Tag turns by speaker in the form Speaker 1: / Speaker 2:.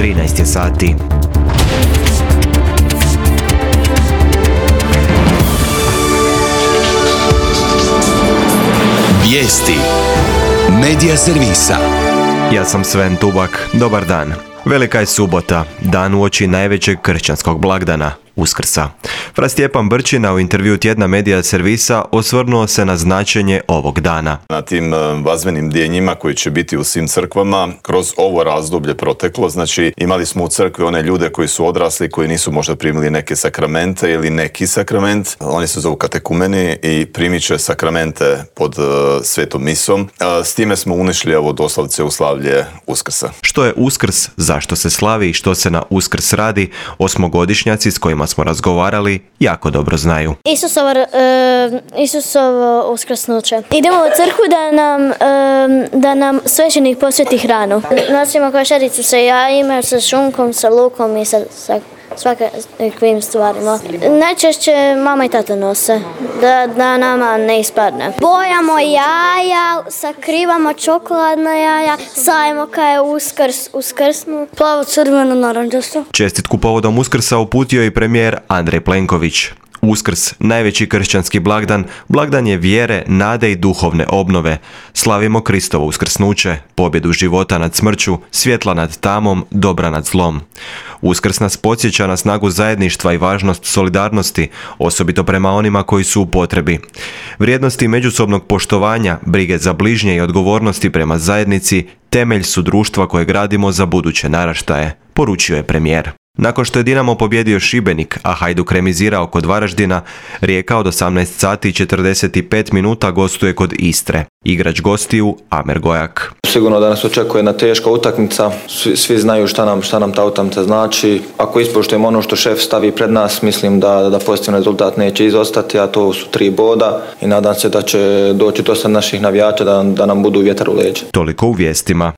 Speaker 1: 13 je sati.
Speaker 2: Vijesti Medija servisa.
Speaker 1: Ja sam Sven Tubak, dobar dan. Velika je subota, dan uoči najvećeg kršćanskog blagdana, Uskrsa. Fra Stjepan Brčina u intervju tjedna Medija servisa osvrnuo se na značenje ovog dana.
Speaker 3: Na tim vazvenim djenjima koji će biti u svim crkvama kroz ovo razdoblje proteklo, znači imali smo u crkvi one ljude koji su odrasli, koji nisu možda primili neke sakramente ili neki sakrament. Oni se zovu katekumeni i primit će sakramente pod svetom misom. S time smo unišli ovo doslovce u slavlje Uskrsa.
Speaker 1: Što je Uskrs, zašto se slavi i što se na Uskrs radi, osmogodišnjaci s kojima smo razgovarali jako dobro znaju.
Speaker 4: Isusovo uskrsnuće. Idemo u crkvu da nam svećenik posveti hranu. Nosimo košaricu sa jajima, sa šunkom, sa lukom i sa svakakvim stvarima. Najčešće mama i tata nose, da nama ne ispadne. Bojamo jaja, sakrivamo čokoladna jaja, sajemo kaj je uskrsnu. Plavo, crveno, narančasto.
Speaker 1: Čestitku povodom Uskrsa uputio i premijer Andrej Plenković. Uskrs, najveći kršćanski blagdan, blagdan je vjere, nade i duhovne obnove. Slavimo Kristovo uskrsnuće, pobjedu života nad smrću, svjetla nad tamom, dobra nad zlom. Uskrs nas podsjeća na snagu zajedništva i važnost solidarnosti, osobito prema onima koji su u potrebi. Vrijednosti međusobnog poštovanja, brige za bližnje i odgovornosti prema zajednici temelj su društva koje gradimo za buduće naraštaje, poručio je premijer. Nakon što je Dinamo pobjedio Šibenik, a Hajduk remizirao kod Varaždina, Rijeka od 18 sati i 45 minuta gostuje kod Istre. Igrač gostiju Amer Gojak.
Speaker 5: Sigurno da nas očekuje jedna teška utakmica. Svi znaju šta nam ta utakmica znači. Ako ispoštujemo ono što šef stavi pred nas, mislim da pozitivan rezultat neće izostati, a to su 3 boda i nadam se da će doći dosta naših navijača da nam budu vjetar u leđa.
Speaker 1: Toliko u vijestima.